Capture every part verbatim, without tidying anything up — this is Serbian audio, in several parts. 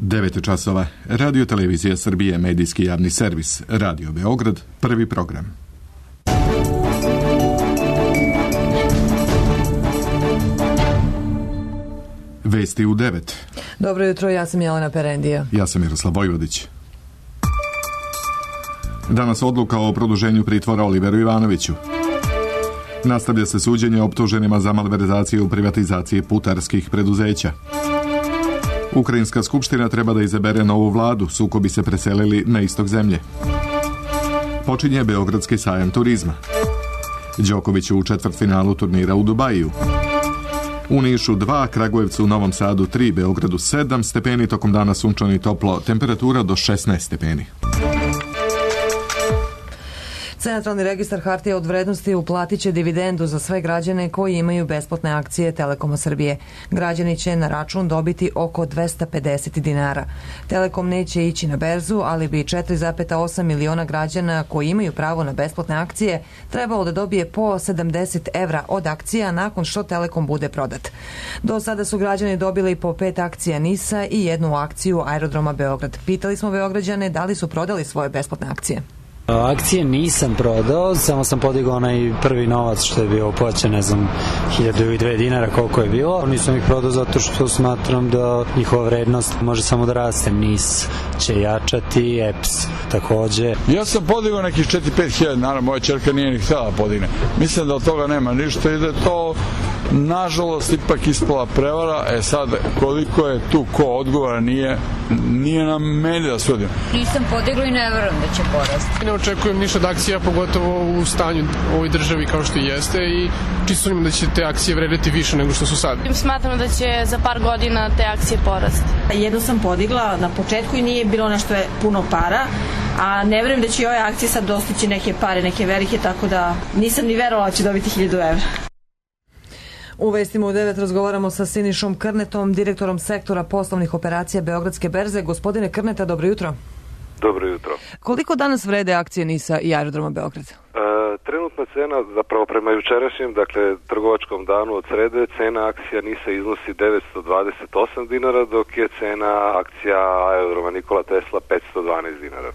devet časova. Radio Televizija Srbije, medijski javni servis. Radio Beograd, prvi program. Vesti u devet. Dobro jutro, ja sam Jelena Perendija. Ja sam Miroslav Vojvodić. Danas odluka o produženju pritvora Oliveru Ivanoviću. Nastavlja se suđenje optuženima za malverzaciju u privatizaciji putarskih preduzeća. Ukrajinska skupština treba da izabere novu vladu, sukobi se preselili na istok zemlje. Počinje Beogradski sajam turizma. Đoković u četvrtfinalu turnira u Dubaju. U Nišu dva, Kragujevcu, Novom Sadu tri, Beogradu sedam stepeni, tokom dana sunčano i toplo, temperatura do šesnaest stepeni. Centralni registar hartija od vrednosti uplatit će dividendu za sve građane koji imaju besplatne akcije Telekoma Srbije. Građani će na račun dobiti oko dvesta pedeset dinara. Telekom neće ići na berzu, ali bi četiri zarez osam miliona građana koji imaju pravo na besplatne akcije trebalo da dobije po sedamdeset evra od akcija nakon što Telekom bude prodat. Do sada su građani dobili po pet akcija NIS-a i jednu akciju Aerodroma Beograd. Pitali smo Beograđane da li su prodali svoje besplatne akcije. Akcije nisam prodao, samo sam podigao onaj prvi novac što je bio uplaćen, ne znam, hiljadu i dve dinara koliko je bilo. Nisam ih prodao zato što smatram da njihova vrednost može samo da raste. NIS će jačati, E P S takođe. Ja sam podigao nekih četiri do pet hiljada dinara, moja čerka nije ni htjela da podigne. Mislim da od toga nema ništa i da je to nažalost ipak ispala prevara. E sad, koliko je tu ko odgovara, nije, nije na meni da sudim. Nisam podigla i ne verujem da će porasti. Ne očekujem ništa od akcija, pogotovo u stanju u ovoj državi kao što i jeste, i čisto sumnjam da će te akcije vredeti više nego što su sad. Smatram da će za par godina te akcije porasti. Jednu sam podigla na početku i nije bilo nešto je puno para, a ne verujem da će i ove akcije sad dostići neke pare, neke velike, tako da nisam ni verovala da će dobiti hiljadu evra. U vestima u devet razgovaramo sa Sinišom Krnetom, direktorom sektora poslovnih operacija Beogradske berze. Gospodine Krneta, dobro jutro. Dobro jutro. Koliko danas vrede akcije NIS-a i Aerodroma Beograd? E, trenutna cena, zapravo prema jučerašnjem, dakle trgovačkom danu od srede, cena akcija NIS-a iznosi devetsto dvadeset osam dinara, dok je cena akcija Aerodroma Nikola Tesla petsto dvanaest dinara.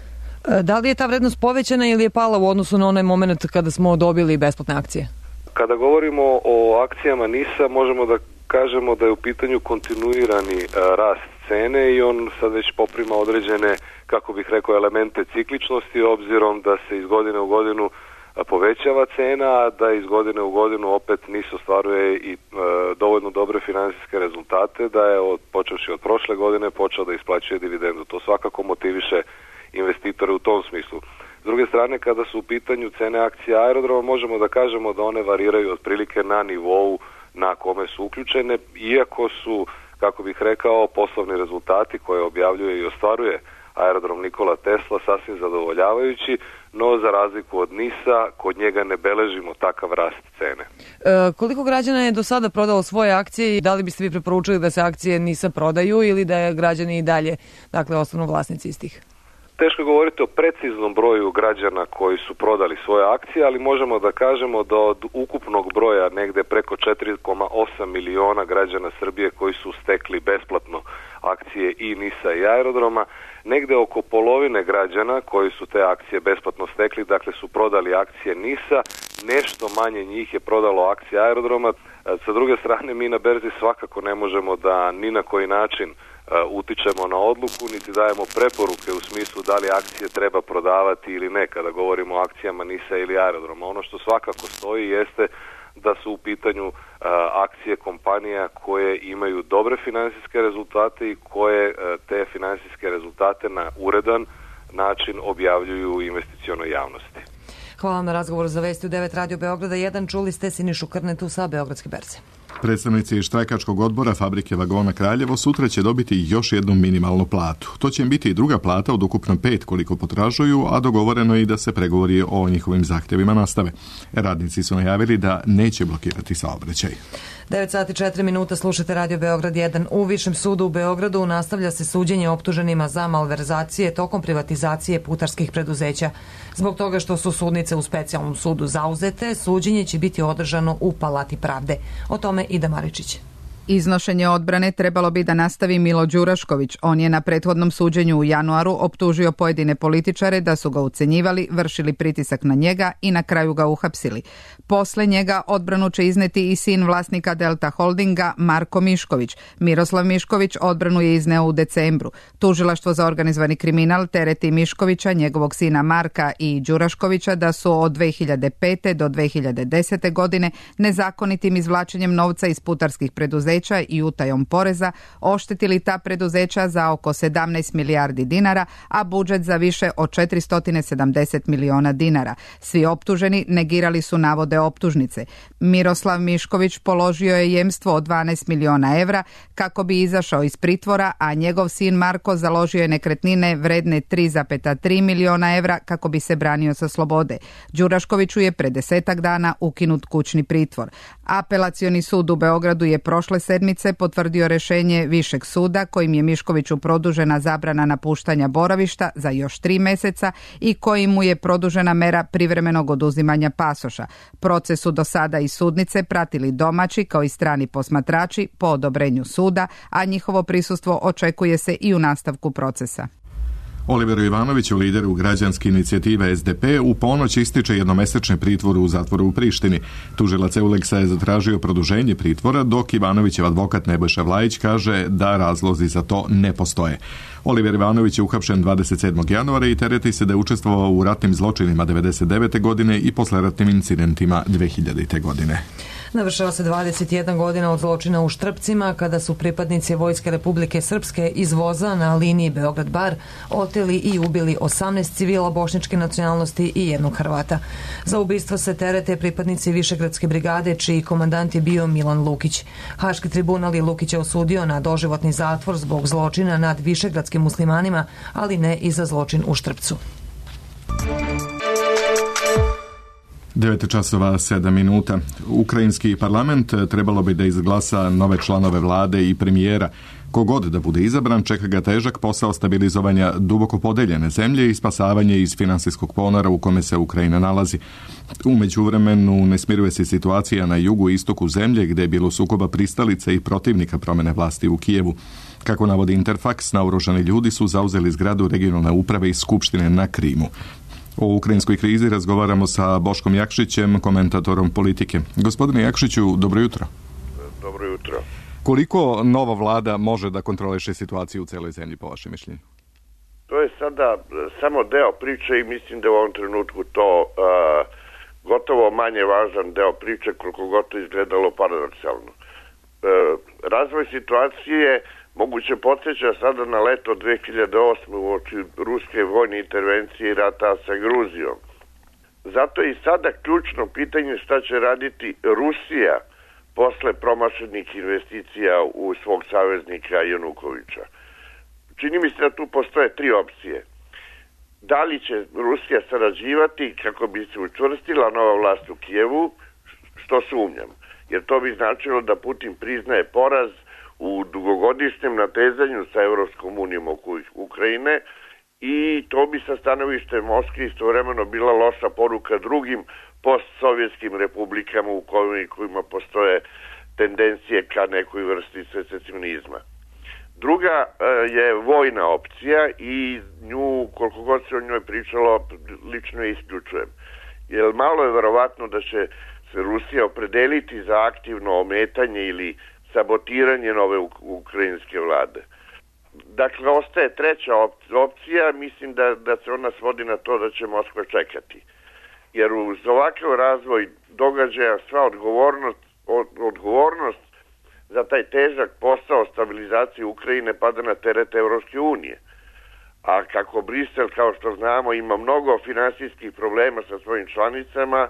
E, da li je ta vrednost povećana ili je pala u odnosu na onaj moment kada smo dobili besplatne akcije? Kada govorimo o akcijama NIS-a, možemo da kažemo da je u pitanju kontinuirani e, rast cene i on sad već poprima određene, kako bih rekao, elemente cikličnosti, obzirom da se iz godine u godinu povećava cena, a da iz godine u godinu opet NIS ostvaruje i e, dovoljno dobre finansijske rezultate, da je od, počevši od prošle godine počeo da isplaćuje dividendu. To svakako motiviše investitore u tom smislu. S druge strane, kada su u pitanju cene akcija Aerodroma, možemo da kažemo da one variraju otprilike na nivou na kome su uključene, iako su, kako bih rekao, poslovni rezultati koje objavljuje i ostvaruje Aerodrom Nikola Tesla sasvim zadovoljavajući, no za razliku od NIS-a, kod njega ne beležimo takav rast cene. E, koliko građana je do sada prodalo svoje akcije i da li biste vi preporučili da se akcije NIS-a prodaju ili da je građani i dalje, dakle, ostanu vlasnici istih? Teško je govoriti o preciznom broju građana koji su prodali svoje akcije, ali možemo da kažemo da od ukupnog broja negde preko četiri zarez osam miliona građana Srbije koji su stekli besplatno akcije i NIS-a i Aerodroma, negde oko polovine građana koji su te akcije besplatno stekli, dakle su prodali akcije NIS-a, nešto manje njih je prodalo akcije Aerodroma. Sa druge strane, mi na berzi svakako ne možemo da ni na koji način utičemo na odluku, niti dajemo preporuke u smislu da li akcije treba prodavati ili ne kada govorimo o akcijama NIS-a ili Aerodroma. Ono što svakako stoji jeste da su u pitanju a, akcije kompanija koje imaju dobre finansijske rezultate i koje a, te finansijske rezultate na uredan način objavljuju investicionoj javnosti. Hvala na razgovoru za Vesti u devet Radio Beograda jedan. Čuli ste Sinišu Krnetu sa Beogradske berze. Predstavnici štrajkačkog odbora Fabrike vagona Kraljevo sutra će dobiti još jednu minimalnu platu. To će im biti i druga plata od ukupno pet koliko potražuju, a dogovoreno je i da se pregovori o njihovim zahtjevima nastave. Radnici su najavili da neće blokirati saobraćaj. devet sati četiri minuta, slušate Radio Beograd jedan. U Višem sudu u Beogradu nastavlja se suđenje optuženima za malverzacije tokom privatizacije putarskih preduzeća. Zbog toga što su sudnice u specijalnom sudu zauzete, suđenje će biti održano u Palati pravde. O tome Ida Maričić. Iznošenje odbrane trebalo bi da nastavi Milo Đurašković. On je na prethodnom suđenju u januaru optužio pojedine političare da su ga ucenjivali, vršili pritisak na njega i na kraju ga uhapsili. Posle njega odbranu će izneti i sin vlasnika Delta Holdinga Marko Mišković. Miroslav Mišković odbranu je izneo u decembru. Tužilaštvo za organizovani kriminal tereti Miškovića, njegovog sina Marka i Đuraškovića da su od dve hiljade pete do dve hiljade desete godine nezakonitim izvlačenjem novca iz putarskih preduzeća i utajom poreza oštetili ta preduzeća za oko sedamnaest milijardi dinara, a budžet za više od četiristo sedamdeset miliona dinara. Svi optuženi negirali su navode optužnice. Miroslav Mišković položio je jemstvo od dvanaest miliona evra kako bi izašao iz pritvora, a njegov sin Marko založio je nekretnine vredne tri zarez tri miliona evra kako bi se branio sa slobode. Đuraškoviću je pre desetak dana ukinut kućni pritvor. Apelacioni sud u Beogradu je prošle sedmice potvrdio rešenje Višeg suda kojim je Miškoviću produžena zabrana napuštanja boravišta za još tri meseca i kojim mu je produžena mera privremenog oduzimanja pasoša. Proces su do sada i sudnice pratili domaći kao i strani posmatrači po odobrenju suda, a njihovo prisustvo očekuje se i u nastavku procesa. Oliveru Ivanoviću, lideru građanske inicijative S D P, u ponoć ističe jednomesečni pritvor u zatvoru u Prištini. Tužilac Euleksa je zatražio produženje pritvora, dok Ivanovićev advokat Nebojša Vlajić kaže da razlozi za to ne postoje. Oliver Ivanović je uhapšen dvadeset sedmog januara i tereti se da je učestvovao u ratnim zločinima devedeset devete godine i posleratnim incidentima dve hiljadite godine. Navršava se dvadeset jedna godina od zločina u Štrpcima, kada su pripadnici Vojske Republike Srpske iz voza na liniji Beograd-Bar oteli i ubili osamnaest civila bošnjačke nacionalnosti i jednog Hrvata. Za ubistvo se terete pripadnici Višegradske brigade, čiji komandant je bio Milan Lukić. Haški tribunal je Lukića osudio na doživotni zatvor zbog zločina nad višegradskim muslimanima, ali ne i za zločin u Štrpcu. devet časova sedam minuta. Ukrajinski parlament trebalo bi da izglasa nove članove vlade i premijera. Kogod da bude izabran, čeka ga težak posao stabilizovanja duboko podeljene zemlje i spasavanje iz finansijskog ponora u kome se Ukrajina nalazi. U međuvremenu ne smiruje se situacija na jugu i istoku zemlje, gde je bilo sukoba pristalice i protivnika promene vlasti u Kijevu. Kako navodi Interfax, naoružani ljudi su zauzeli zgradu regionalne uprave i skupštine na Krimu. O ukrajinskoj krizi razgovaramo sa Boškom Jakšićem, komentatorom politike. Gospodine Jakšiću, dobro jutro. Dobro jutro. Koliko nova vlada može da kontroliše situaciju u celoj zemlji, po vašem mišljenju? To je sada samo deo priče i mislim da u ovom trenutku to uh, gotovo manje važan deo priče, koliko god to izgledalo paradoksalno. Uh, razvoj situacije moguće podsjeća sada na leto dve hiljade osme u oči ruske vojne intervencije i rata sa Gruzijom. Zato je i sada ključno pitanje šta će raditi Rusija posle promašenih investicija u svog saveznika Janukovića. Čini mi se da tu postoje tri opcije. Da li će Rusija sarađivati kako bi se učvrstila nova vlast u Kijevu, što sumnjam, jer to bi značilo da Putin priznaje poraz u dugogodišnjem natezanju sa Evropskom unijom oko Ukrajine i to bi sa stanovište Moskve istovremeno bila loša poruka drugim postsovjetskim republikama u kojima postoje tendencije ka nekoj vrsti secesionizma. Druga je vojna opcija i nju, koliko god se o njoj pričalo, lično je isključujem. Jer malo je verovatno da će se Rusija opredeliti za aktivno ometanje ili sabotiranje nove ukrajinske vlade. Dakle, ostaje treća opcija, mislim da, da se ona svodi na to da će Moskva čekati. Jer uz ovakav razvoj događaja sva odgovornost, od, odgovornost za taj težak posao stabilizacije Ukrajine pada na teret Evropske unije. A kako Brisel, kao što znamo, ima mnogo finansijskih problema sa svojim članicama,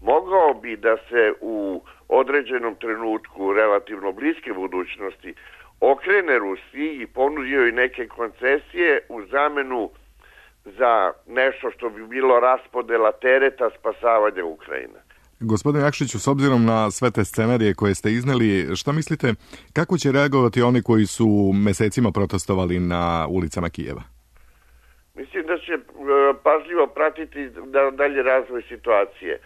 mogao bi da se u određenom trenutku relativno bliske budućnosti okrene Rusiji i ponudio i neke koncesije u zamenu za nešto što bi bilo raspodela tereta spasavanja Ukrajine. Gospodine Jakšiću, s obzirom na sve te scenarije koje ste izneli, šta mislite, kako će reagovati oni koji su mesecima protestovali na ulicama Kijeva? Mislim da će pažljivo pratiti dalje razvoj situacije.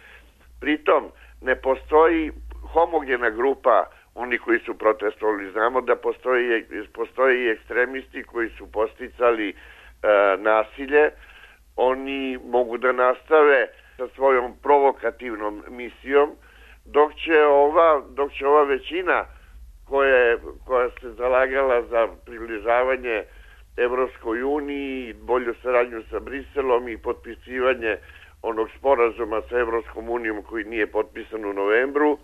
Pritom, ne postoji homogena grupa oni koji su protestovali. Znamo da postoje, postoje i ekstremisti koji su posticali e, nasilje. Oni mogu da nastave sa svojom provokativnom misijom, dok će ova, dok će ova većina koja, koja se zalagala za približavanje Evropskoj uniji, bolju saradnju sa Briselom i potpisivanje onog sporazuma sa Evropskom unijom koji nije potpisan u novembru, uh,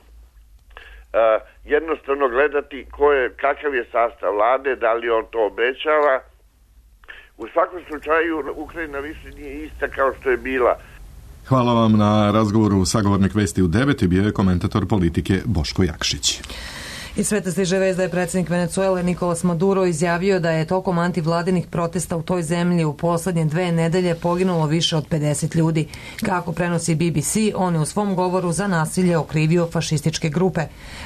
jednostavno gledati ko je, kakav je sastav vlade, da li on to obećava. U svakom slučaju Ukrajina više nije ista kao što je bila. Hvala vam na razgovoru. Sagovornik Vesti u devet bio je komentator politike Boško Jakšić. Iz sveta stiže vest da je predsjednik Venecuele Nikolas Maduro izjavio da je tokom antivladinih protesta u toj zemlji u poslednje dve nedelje poginulo više od pedeset ljudi. Kako prenosi B B C, on je u svom govoru za nasilje okrivio fašističke grupe.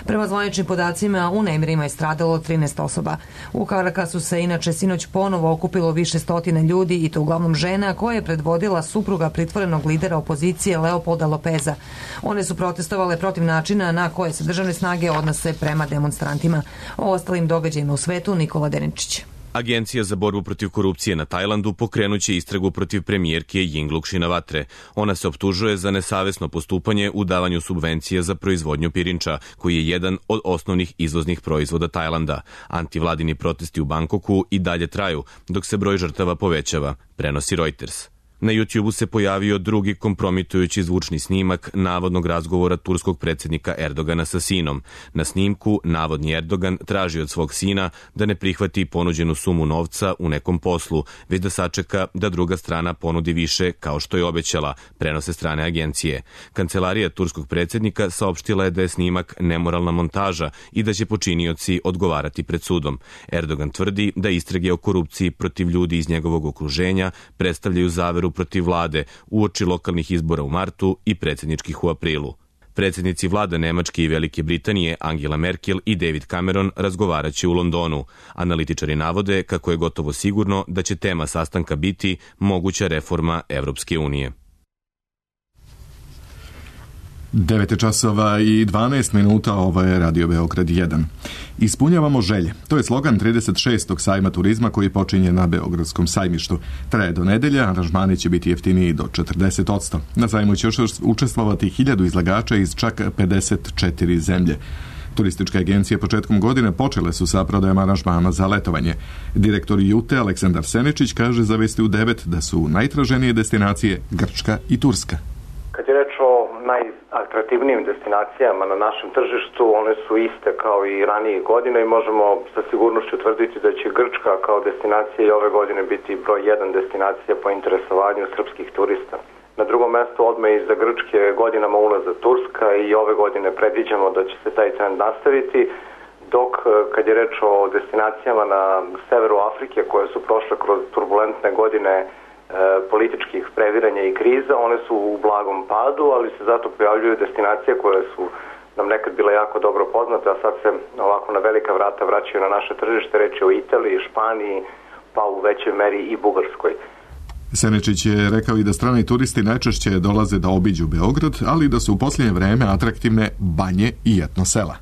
Prema zvaničnim podacima u nemirima je stradalo trinaest osoba. U Karakasu se inače sinoć ponovo okupilo više stotina ljudi i to uglavnom žena koje je predvodila supruga pritvorenog lidera opozicije Leopolda Lopeza. One su protestovale protiv načina na koje se državne snage odnose prema demonstrantima. O ostalim događajima u svetu Nikola Deninčić. Agencija za borbu protiv korupcije na Tajlandu pokrenuće istragu protiv premijerke Yingluck Shinawatre. Ona se optužuje za nesavesno postupanje u davanju subvencija za proizvodnju pirinča, koji je jedan od osnovnih izvoznih proizvoda Tajlanda. Antivladini protesti u Bangkoku i dalje traju, dok se broj žrtava povećava, prenosi Reuters. Na YouTubeu se pojavio drugi kompromitujući zvučni snimak navodnog razgovora turskog predsjednika Erdogana sa sinom. Na snimku navodni Erdogan traži od svog sina da ne prihvati ponuđenu sumu novca u nekom poslu, već da sačeka da druga strana ponudi više kao što je obećala, prenose strane agencije. Kancelarija turskog predsjednika saopštila je da je snimak nemoralna montaža i da će počinioci odgovarati pred sudom. Erdogan tvrdi da istrage o korupciji protiv ljudi iz njegovog okruženja predstavljaju zaveru protiv vlade uoči lokalnih izbora u martu i predsjedničkih u aprilu. Predsjednici vlada Nemačke i Velike Britanije Angela Merkel i David Cameron razgovaraće u Londonu. Analitičari navode kako je gotovo sigurno da će tema sastanka biti moguća reforma Evropske unije. devet časova i dvanaest minuta, ovo je Radio Beograd jedan. Ispunjavamo želje. To je slogan trideset šestog sajma turizma koji počinje na Beogradskom sajmištu. Traje do nedelje, aranžmani će biti jeftiniji do četrdeset posto. Na sajmu će učestvovati hiljadu izlagača iz čak pedeset četiri zemlje. Turističke agencije početkom godine počele su sa prodajama aranžmana za letovanje. Direktor Jute Aleksandar Senečić kaže za Vesti u devet da su najtraženije destinacije Grčka i Turska. Kad je reč o najatraktivnijim destinacijama na našem tržištu, one su iste kao i ranije godine i možemo sa sigurnošću tvrditi da će Grčka kao destinacija i ove godine biti broj jedan destinacija po interesovanju srpskih turista. Na drugom mjestu odmah iza Grčke godinama unazad Turska i ove godine predviđamo da će se taj trend nastaviti, dok kad je reč o destinacijama na severu Afrike koje su prošle kroz turbulentne godine političkih previranja i kriza, one su u blagom padu, ali se zato pojavljuju destinacije koje su nam nekad bile jako dobro poznate, a sad se ovako na velika vrata vraćaju na naše tržište, reći o Italiji, Španiji, pa u većoj meri i Bugarskoj. Senečić je rekao i da strani turisti najčešće dolaze da obiđu Beograd, ali da su u posljednje vreme atraktivne banje i etno sela.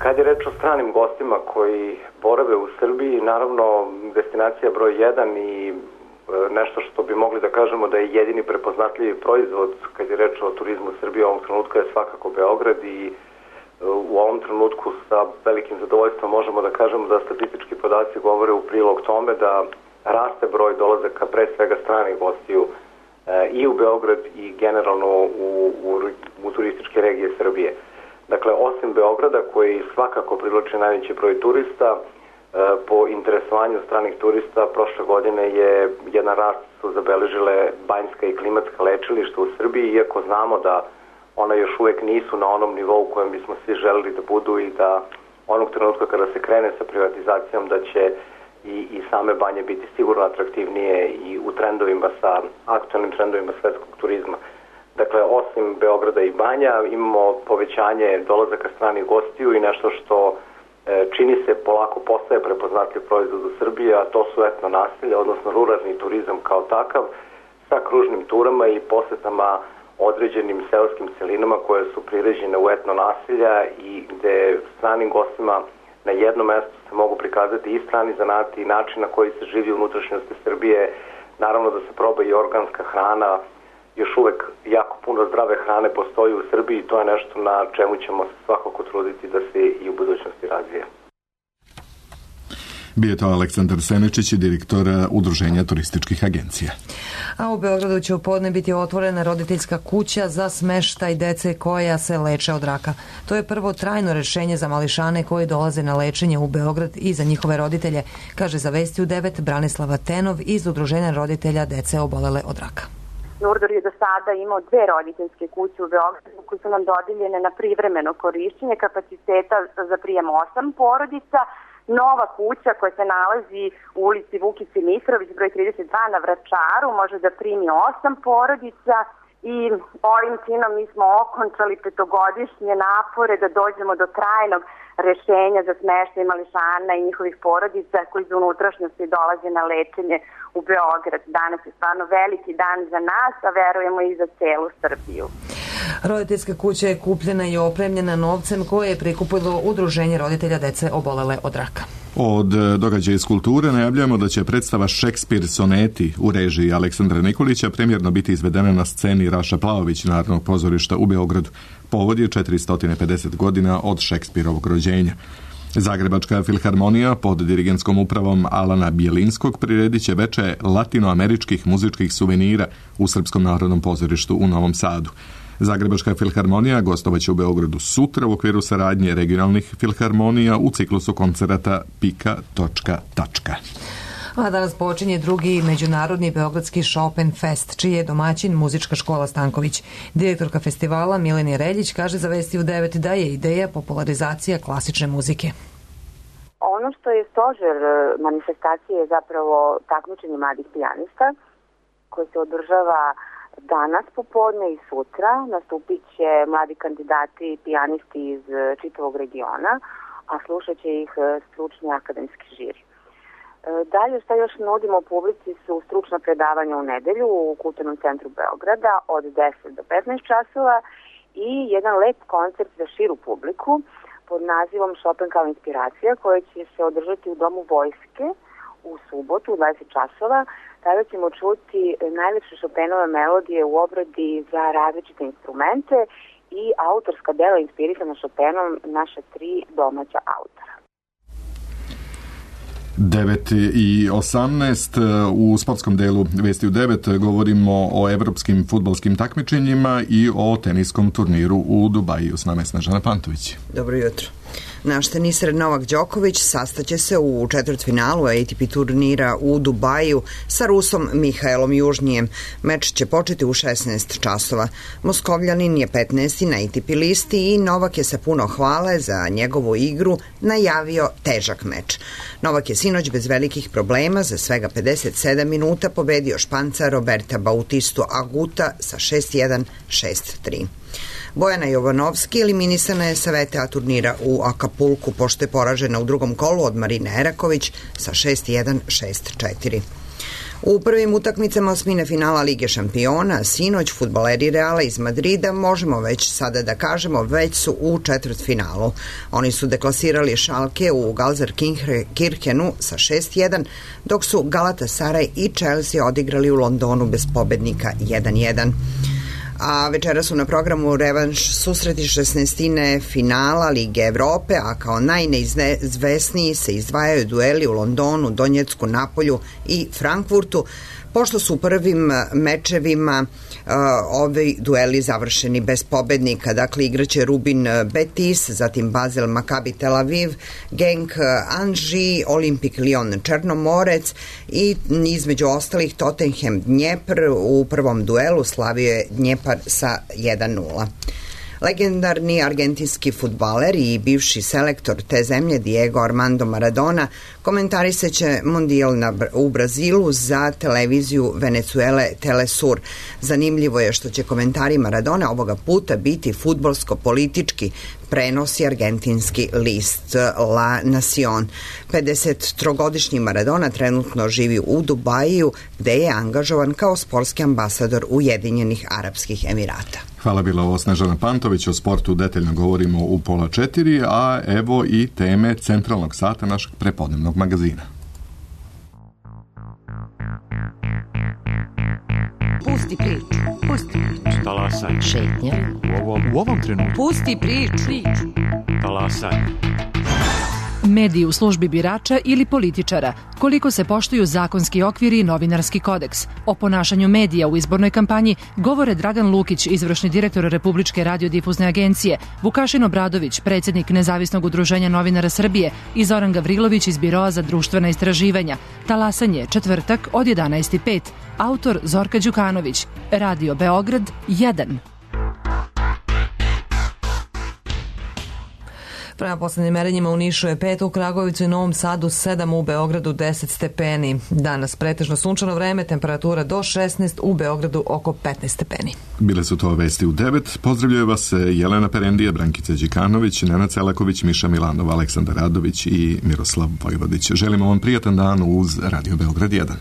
Kad je reč o stranim gostima koji borave u Srbiji, naravno destinacija broj jedan i nešto što bi mogli da kažemo da je jedini prepoznatljivi proizvod kad je reč o turizmu Srbije u ovom trenutku je svakako Beograd i u ovom trenutku sa velikim zadovoljstvom možemo da kažemo da statistički podaci govore u prilog tome da raste broj dolazaka pre svega stranih gostiju i u Beograd i generalno u, u, u turističke regije Srbije. Dakle, osim Beograda koji svakako privlači najveći broj turista, po interesovanju stranih turista prošle godine je jedan rast su zabeležile banjska i klimatska lečilišta u Srbiji, iako znamo da ona još uvek nisu na onom nivou u kojem bismo svi želeli da budu i da onog trenutka kada se krene sa privatizacijom da će i, i same banje biti sigurno atraktivnije i u trendovima sa aktualnim trendovima svetskog turizma. Dakle, osim Beograda i banja imamo povećanje dolazaka stranih gostiju i nešto što čini se polako postaje prepoznatljiv proizvod u Srbiji, a to su etno naselja, odnosno ruralni turizam kao takav, sa kružnim turama i posetama određenim seoskim celinama koje su priređene u etno nasilja i gde stranim gostima na jednom mestu se mogu prikazati i strani zanati i način na koji se živi u unutrašnjosti Srbije. Naravno da se proba i organska hrana, još uvek jako puno zdrave hrane postoji u Srbiji i to je nešto na čemu ćemo se svakako truditi da se i u budućnosti razvije. Bio je to Aleksandar Senečić, direktor Udruženja turističkih agencija. A u Beogradu će u podne biti otvorena roditeljska kuća za smeštaj dece koja se leče od raka. To je prvo trajno rešenje za mališane koji dolaze na lečenje u Beograd i za njihove roditelje, kaže za Vesti u devet Branislava Tenov iz Udruženja roditelja dece obolele od raka. Nurdor je do sada imao dve roditeljske kuće u Beogradu koje su nam dodijeljene na privremeno korišćenje kapaciteta za prijem osam porodica. Nova kuća koja se nalazi u ulici Vukice Mitrović, broj trideset dva na Vračaru, može da primi osam porodica i ovim činom mi smo okončali petogodišnje napore da dođemo do trajnog rešenja za smeštaj mališana i njihovih porodica koji iz unutrašnjosti dolaze na lečenje u Beograd. Danas je stvarno veliki dan za nas, a verujemo i za celu Srbiju. Roditeljska kuća je kupljena i opremljena novcem koje je prikupilo Udruženje roditelja dece obolele od raka. Od događaja iz kulture najavljujemo da će predstava Šekspir soneti u režiji Aleksandra Nikolića premijerno biti izvedena na sceni Raša Plaović Narodnog pozorišta u Beogradu. Povod je četiristo pedeset godina od Šekspirovog rođenja. Zagrebačka filharmonija pod dirigentskom upravom Alana Bjelinskog priredit će veče latinoameričkih muzičkih suvenira u Srpskom narodnom pozorištu u Novom Sadu. Zagrebačka filharmonija gostovaće u Beogradu sutra u okviru saradnje regionalnih filharmonija u ciklusu koncerata Pika točka tačka. A danas počinje drugi međunarodni beogradski Chopin Fest, čiji je domaćin muzička škola Stanković. Direktorka festivala Mileni Reljić kaže za Vesti u devet da je ideja popularizacija klasične muzike. Ono što je stožer manifestacije je zapravo takmičenje mladih pijanista koje se održava danas popodne i sutra. Nastupit će mladi kandidati i pijanisti iz čitavog regiona, a slušat će ih stručni akademski žiri. Dalje što još nudimo publici su stručna predavanja u nedelju u Kulturnom centru Beograda od deset do petnaest časova i jedan lep koncert za širu publiku pod nazivom Chopin kao inspiracija koja će se održati u Domu vojske u subotu u dvadeset časova. Tada ćemo čuti najlepše Chopinove melodije u obradi za različite instrumente i autorska dela inspirisana Chopinom naša tri domaća autora. devet i osamnaest u sportskom delu Vesti u devet govorimo o evropskim fudbalskim takmičenjima i o teniskom turniru u Dubaju. S nama je Snežana Pantović. Dobro jutro. Naš teniser Novak Đoković sastaće se u četvrtfinalu A T P turnira u Dubaju sa Rusom Mihajlom Južnijem. Meč će početi u šesnaest časova. Moskovljanin je petnaesti na A T P listi i Novak je sa puno hvale za njegovu igru najavio težak meč. Novak je sinoć bez velikih problema za svega pedeset sedam minuta pobedio Španca Roberta Bautistu Aguta sa šest jedan šest tri. Bojana Jovanovski eliminisana je sa V T A turnira u Akapulku pošto je poražena u drugom kolu od Marine Eraković sa šest jedan šest četiri. U prvim utakmicama osmine finala Lige šampiona, sinoć fudbaleri Reala iz Madrida, možemo već sada da kažemo, već su u četvrtfinalu. Oni su deklasirali Schalke u Gelsenkirchenu sa šest jedan, dok su Galatasaray i Chelsea odigrali u Londonu bez pobednika jedan jedan. A večera su na programu revanš susreti šesnaestine finala Lige Evrope, a kao najneizvesniji se izdvajaju dueli u Londonu, Donjecku, Napolju i Frankfurtu, pošto su u prvim mečevima uh, ovi dueli završeni bez pobednika. Dakle, igraće Rubin Betis, zatim Basel Maccabi Tel Aviv, Genk Anži, Olimpik Lyon Černomorec i između ostalih Tottenham Dnjepr u prvom duelu slavio je Dnjepar sa jedan nula. Legendarni argentinski fudbaler i bivši selektor te zemlje Diego Armando Maradona komentarisaće mondijal u Brazilu za televiziju Venezuele Telesur. Zanimljivo je što će komentari Maradona ovoga puta biti fudbalsko-politički, prenosi argentinski list La Nación. pedesettrogodišnji Maradona trenutno živi u Dubaju, gde je angažovan kao sportski ambasador Ujedinjenih Arapskih Emirata. Hvala, bila ovo Snežana Pantović. O sportu detaljno govorimo u pola četiri, a evo i teme centralnog sata našeg prepodnevnog magazina. Pusti priču, pusti priču. Talasaj. Šetnja. U ovom, u ovom trenutku. Pusti priču. Talasaj. Mediji u službi birača ili političara, koliko se poštuju zakonski okviri i novinarski kodeks. O ponašanju medija u izbornoj kampanji govore Dragan Lukić, izvršni direktor Republičke radiodifuzne agencije, Vukašin Obradović, predsjednik Nezavisnog udruženja novinara Srbije i Zoran Gavrilović iz Biroa za društvena istraživanja. Talasanje, četvrtak od jedanaest i pet. Autor Zorka Đukanović. Radio Beograd jedan. Prema poslednjim merenjima u Nišu je pet, u Kragujevcu i Novom Sadu sedam, u Beogradu deset stepeni. Danas pretežno sunčano vreme, temperatura do šesnaest, u Beogradu oko petnaest stepeni. Bile su to vesti u devet. Pozdravljaju vas Jelena Perendija, Brankica Đikanović, Nenad Celaković, Miša Milanov, Aleksandar Radović i Miroslav Vojvodić. Želimo vam prijatan dan uz Radio Beograd jedan.